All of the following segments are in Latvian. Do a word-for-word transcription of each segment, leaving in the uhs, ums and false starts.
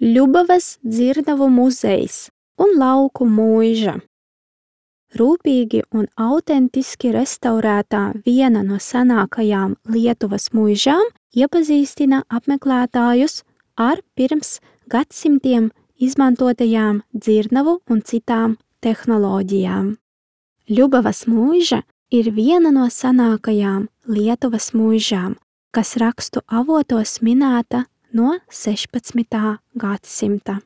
Ļubavas dzirnavu muzejs un lauku mūža. Rūpīgi un autentiski restaurētā viena no senākajām Lietuvas mūžām iepazīstina apmeklētājus ar pirms gadsimtiem izmantotajām dzirnavu un citām tehnoloģijām. Ļubavas mūža ir viena no senākajām Lietuvas mūžām, kas rakstu avotos minēta no sešpadsmitā gadsimta.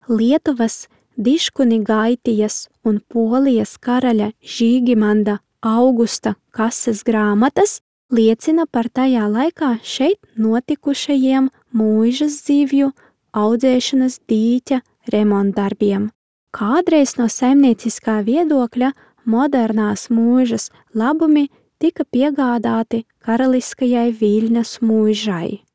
Lietuvas Diškunigaitijas un Polijas karaļa Žīgimanda Augusta kases grāmatas liecina par tajā laikā šeit notikušajiem mūžas zivju audzēšanas dīķa remontdarbiem. Kādreiz no saimnieciskā viedokļa modernās mūžas labumi tika piegādāti karaliskajai Viļņas mūžai.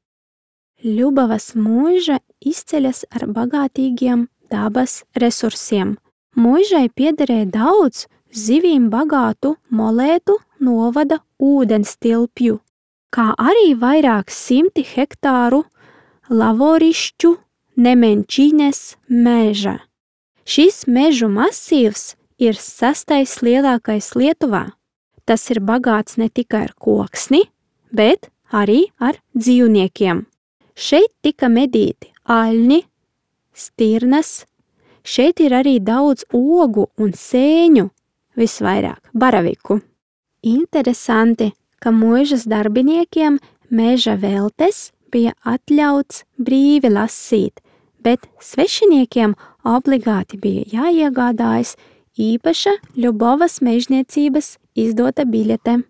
Ļubavas mūža izceļas ar bagātīgiem dabas resursiem. Mūžai piederēja daudz zivīm bagātu Molētu novada ūdens tilpju, kā arī vairāk simti hektāru lavorišķu Nemenčiņes meža. Šis mežu masīvs ir sastais lielākais Lietuvā. Tas ir bagāts ne tikai ar koksni, bet arī ar dzīvniekiem. Šeit tika medīti aļņi, stirnas, šeit ir arī daudz ogu un sēņu, visvairāk baraviku. Interesanti, ka mūžas darbiniekiem meža veltes bija atļauts brīvi lasīt, bet svešiniekiem obligāti bija jāiegādājas īpaša Ļubavas mežniecības izdota biļete.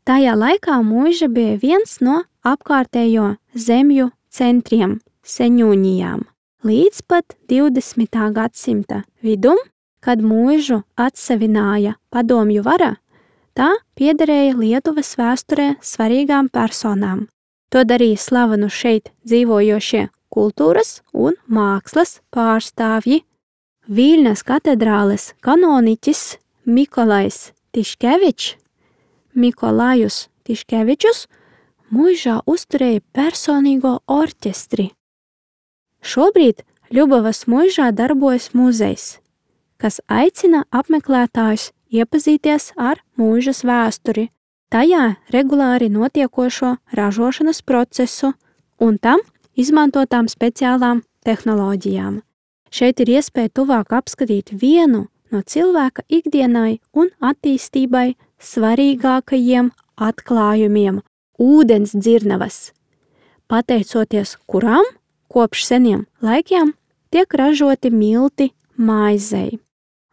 Tajā laikā mūža bija viens no apkārtējo zemju centriem, Seņūņijām. Līdz pat divdesmitā gadsimta vidum, kad mūžu atsevināja padomju vara, tā piederēja Lietuvas vēsturē svarīgām personām. To darīja slavenu šeit dzīvojošie kultūras un mākslas pārstāvji. Viļņas katedrāles kanoniķis Mikolajs Tiškevičs, Mikolajus Tiškevičus, mūžā uzturēja personīgo orķestri. Šobrīd Ļubavas mūžā darbojas muzejs, kas aicina apmeklētājus iepazīties ar mūžas vēsturi, tajā regulāri notiekošo ražošanas procesu un tam izmantotām speciālām tehnoloģijām. Šeit ir iespēja tuvāk apskatīt vienu no cilvēka ikdienai un attīstībai svarīgākajiem atklājumiem – ūdens dzirnavas, pateicoties kurām kopš seniem laikiem tiek ražoti milti maizei.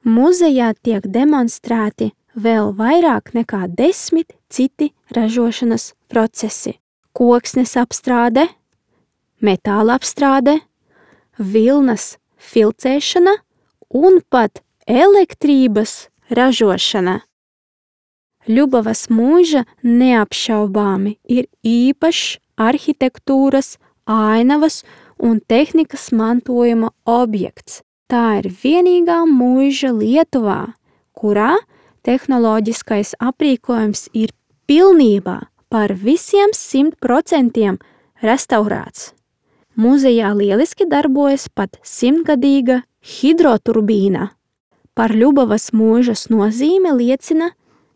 Muzejā tiek demonstrēti vēl vairāk nekā desmit citi ražošanas procesi – koksnes apstrāde, metāla apstrāde, vilnas filcēšana un pat elektrības ražošana. Ļubavas mūža neapšaubāmi ir īpašs arhitektūras, ainavas un tehnikas mantojuma objekts. Tā ir vienīgā mūža Lietuvā, kurā tehnoloģiskais aprīkojums ir pilnībā par visiem simt procentiem restaurēts. Muzejā lieliski darbojas pat simtgadīga hidroturbīna. Par Ļubavas mūžas nozīme liecina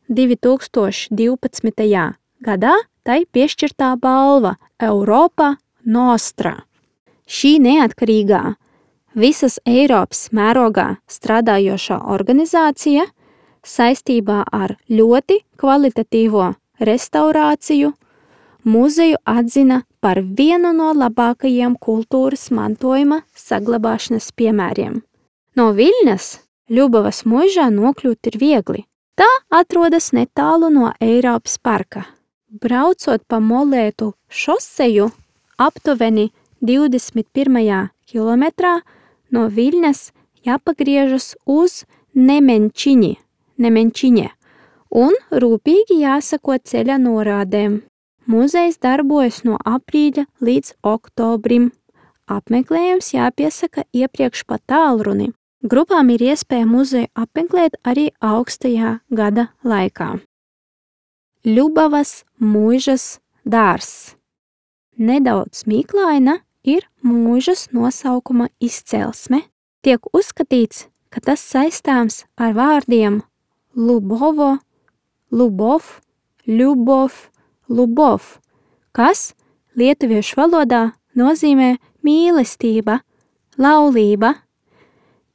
divi tūkstoši divpadsmitajā gadā tai piešķirtā balva Europa Nostra. Šī neatkarīgā, visas Eiropas mērogā strādājošā organizācija saistībā ar ļoti kvalitatīvo restaurāciju muzeju atzina par vienu no labākajiem kultūras mantojuma saglabāšanas piemēriem. No Viļņas Ļubavas mūžā nokļūt ir viegli. Tā atrodas netālu no Eiropas parka. Braucot pa Molētu šoseju aptuveni divdesmit pirmajā kilometrā no Viļņas jāpagriežas uz Nemenčiņi, Nemenčiņe un rūpīgi jāsako ceļa norādēm. Muzejs darbojas no aprīļa līdz oktobrim. Apmeklējums jāpiesaka iepriekš pa tālruni. Grupām ir iespēja muzeju apmeklēt arī augstajā gada laikā. Ļubavas mūžas dārzs. Nedaudz mīklaina ir mūžas nosaukuma izcelsme. Tiek uzskatīts, ka tas saistāms ar vārdiem Lubovo, Lubov, Ļubov, Lubov, kas lietuviešu valodā nozīmē mīlestība, laulība.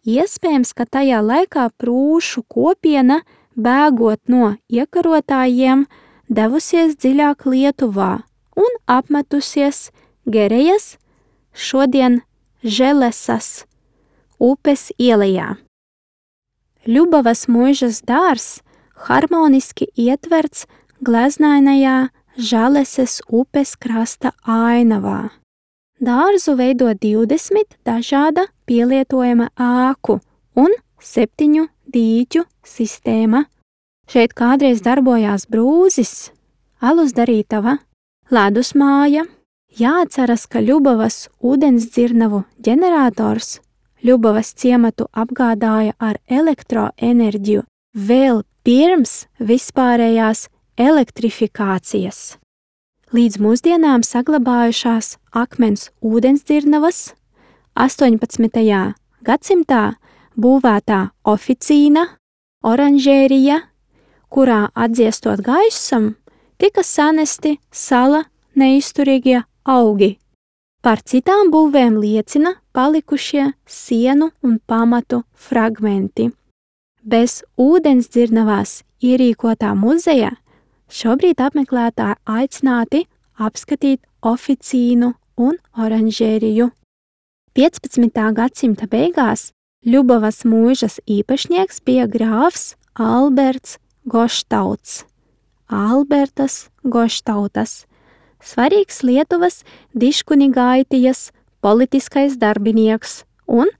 Iespējams, ka tajā laikā prūšu kopiena, bēgot no iekarotājiem, devusies dziļāk Lietuvā un apmetusies Gerejas, šodien Želesas, upes ielejā. Ļubovas mūžas dārs harmoniski ietverts gleznainajā Žaleses upes krasta ainavā. Dārzu veido divdesmit dažāda pielietojama ēku un septiņu dīķu sistēma. Šeit kādreiz darbojās brūzis, alus darītava, ledus māja. Jāatceras, ka Ļubovas ūdensdzirnavu ģenerators Ļubovas ciematu apgādāja ar elektroenerģiju vēl pirms vispārējās elektrifikācijas. Līdz mūsdienām saglabājušās akmens ūdensdzirnavas astoņpadsmitajā gadsimtā būvētā oficīna, oranžērija, kurā atdziestot gaisam, tika sanesti sala neizturīgie augi. Par citām būvēm liecina palikušie sienu un pamatu fragmenti. Bez ūdensdzirnavās ierīkotā muzeja šobrīd apmeklētāji aicināti apskatīt oficīnu un oranžēriju. piecpadsmitā gadsimta beigās Ļubovas mūžas īpašnieks bija grāfs Alberts Goštauts. Albertas Goštautas, svarīgs Lietuvas Diškunigaitijas politiskais darbinieks un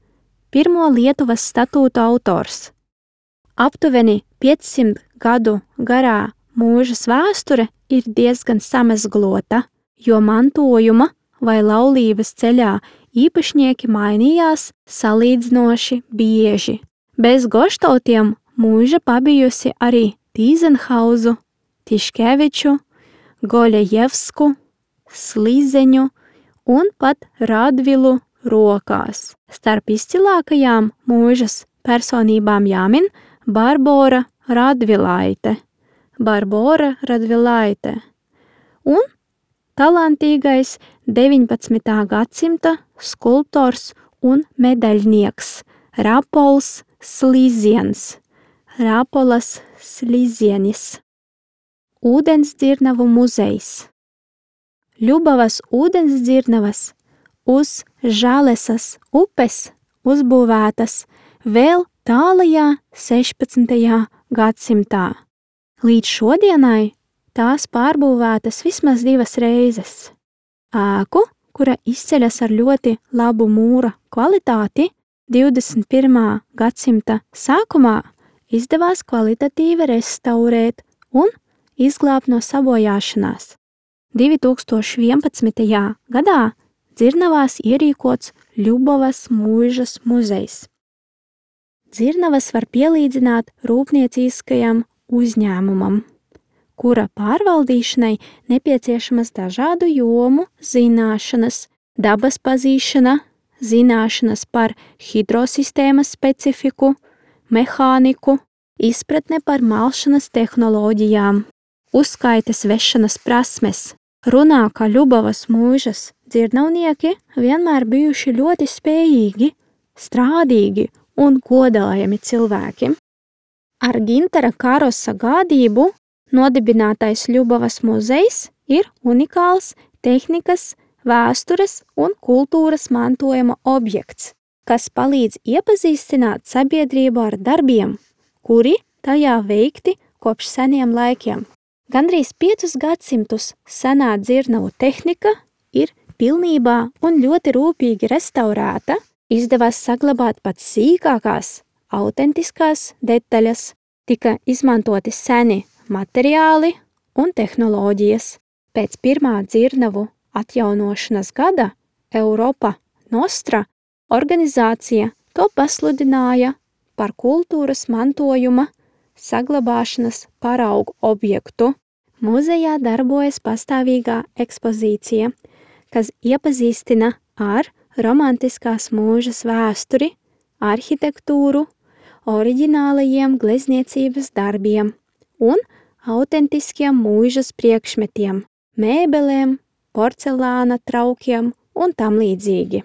pirmo Lietuvas statūtu autors. Aptuveni piecsimt gadu garā mūžas vēsture ir diezgan samezglota, jo mantojuma vai laulības ceļā īpašnieki mainījās salīdzinoši bieži. Bez Goštautiem mūža pabijusi arī Tīzenhauzu, Tiškeviču, Goļejevsku, Slīzeņu un pat Radvilu rokās. Starp izcilākajām mūžas personībām jāmin Barbora Radvilaite, Barbora Radvilaite un talantīgais deviņpadsmitā gadsimta skulptors un medaļnieks Rapols Slīziens, Rapolas Slīzienis. Ūdensdzirnavu muzejs. Ļubovas ūdensdzirnavas uz Žalesas upes uzbūvētas vēl tālajā sešpadsmitajā gadsimtā. Līdz šodienai tās pārbūvētas vismaz divas reizes. Ēku, kura izceļas ar ļoti labu mūra kvalitāti, divdesmit pirmā gadsimta sākumā izdevās kvalitatīvi restaurēt un izglābt no sabojāšanās. divi tūkstoši vienpadsmitajā gadā dzirnavās ierīkots Ļubovas mūžas muzejs. Dzirnavas var pielīdzināt rūpnieciskajam uzņēmumam, kura pārvaldīšanai nepieciešamas dažādu jomu zināšanas, dabas pazīšana, zināšanas par hidrosistēmas specifiku, mehāniku, izpratne par malšanas tehnoloģijām, uzskaites vešanas prasmes. Runā, ka Ļubovas mūžas dzirnavnieki vienmēr bijuši ļoti spējīgi, strādīgi un godājami cilvēki. Ar Gintara Karosa gādību nodibinātais Ļubovas muzejs ir unikāls tehnikas, vēstures un kultūras mantojuma objekts, kas palīdz iepazīstināt sabiedrību ar darbiem, kuri tajā veikti kopš seniem laikiem. Gandrīz piecus gadsimtus senā dzirnavu tehnika ir pilnībā un ļoti rūpīgi restaurēta, izdevās saglabāt pat sīkākās, autentiskās detaļas, tika izmantoti seni materiāli un tehnoloģijas. Pēc pirmā dzirnavu atjaunošanas gada Europa Nostra organizācija to pasludināja par kultūras mantojuma saglabāšanas paraugu objektu. Muzejā darbojas pastāvīgā ekspozīcija, kas iepazīstina ar romantiskās mūžas vēsturi, arhitektūru, oriģinālajiem glezniecības darbiem un autentiskiem mūžas priekšmetiem, mēbelēm, porcelāna traukiem un tam līdzīgi.